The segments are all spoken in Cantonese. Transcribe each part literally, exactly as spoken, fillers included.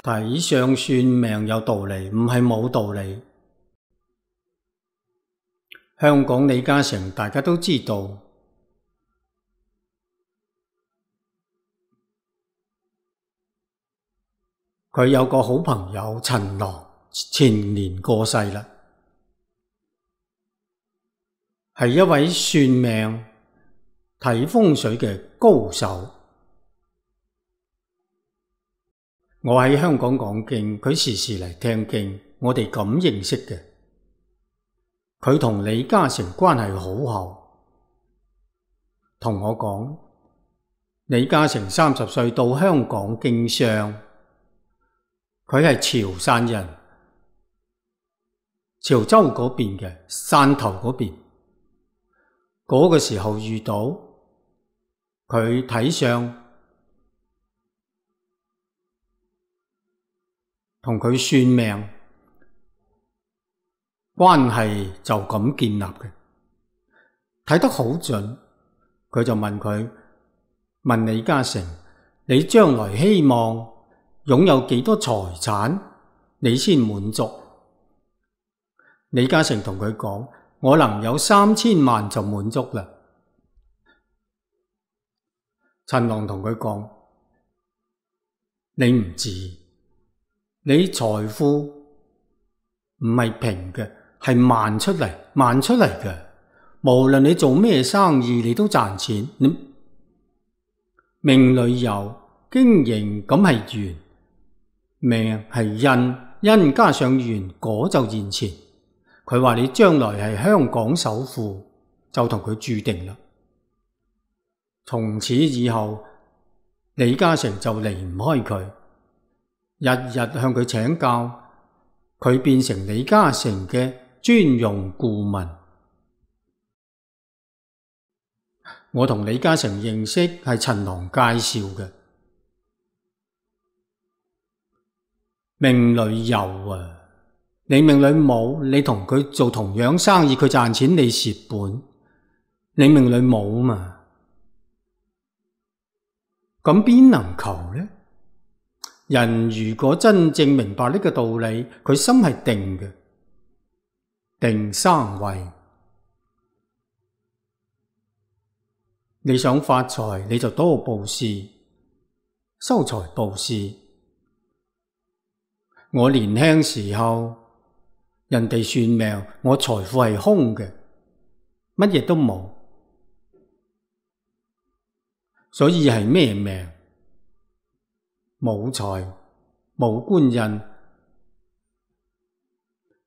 睇相算命有道理，唔係冇道理。香港李嘉誠大家都知道，佢有個好朋友陳郎前年過世啦，係一位算命睇風水嘅高手。我喺香港講經，佢時時嚟聽經，我哋咁認識嘅。佢同李嘉誠關係好好，同我講，李嘉誠三十歲到香港經商，佢係潮汕人，潮州嗰邊嘅，汕頭嗰邊。嗰個時候遇到佢睇相，同佢算命，關係就咁建立嘅，睇得好準。佢就問佢，問李嘉誠，你將來希望擁有幾多財產，你先滿足？李嘉誠同佢講，我能有三千萬就滿足啦。陳郎同佢講，你唔止，你財富唔係平嘅，係萬出嚟，萬出嚟嘅。無論你做咩生意，你都賺錢。你命裏有，經營咁係緣，命係因，因加上緣，果就現前。佢話你將來係香港首富，就同佢注定啦。從此以後，李嘉誠就離唔開佢，日日向佢請教，佢變成李嘉誠嘅專用顧問。我同李嘉誠認識係陳郎介紹嘅。命裏有啊，你命裏冇，你同佢做同樣生意，佢賺錢你蝕本，你命裏冇嘛，咁邊能求呢？人如果真正明白呢個道理，佢心係定嘅，定生慧。你想發財，你就多布施，修財布施。我年輕時候，人哋算命，我財富係空嘅，乜嘢都冇，所以係咩命？冇財，冇官印，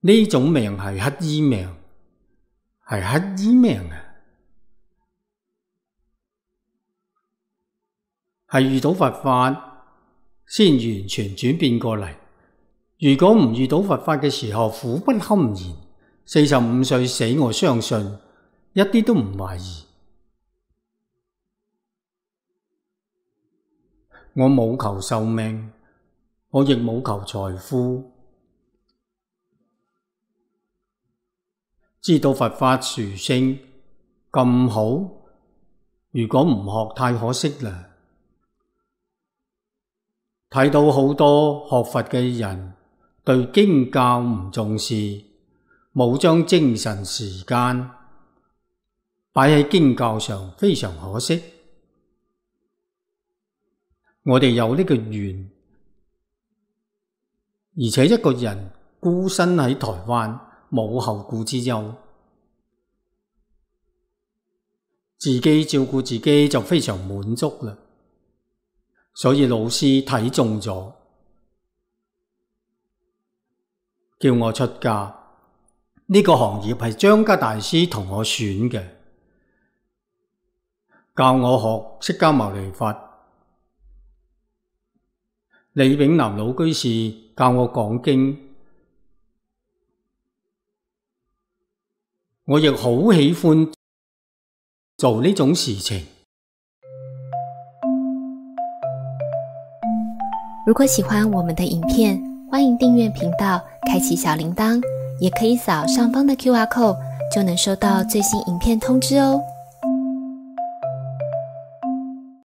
呢種命係乞衣命，係乞衣命啊！係遇到佛法先完全轉變過嚟。如果唔遇到佛法嘅時候，苦不堪言。四十五歲死，我相信一啲都唔懷疑。我冇求壽命，我亦冇求財富。知道佛法殊勝咁好，如果唔學太可惜啦。睇到好多學佛嘅人對經教唔重視，冇將精神時間擺喺經教上，非常可惜。我哋有呢個緣，而且一個人孤身喺台灣，冇後顧之憂，自己照顧自己就非常滿足啦。所以老師睇中咗，叫我出家。呢個行業係張家大師同我選嘅，教我學釋迦牟尼佛。李炳南老居士教我講經，我亦好喜歡做呢種事情。如果喜歡我們的影片，歡迎訂閱頻道，開啟小鈴鐺，也可以掃上方的 Q R code，就能收到最新影片通知哦。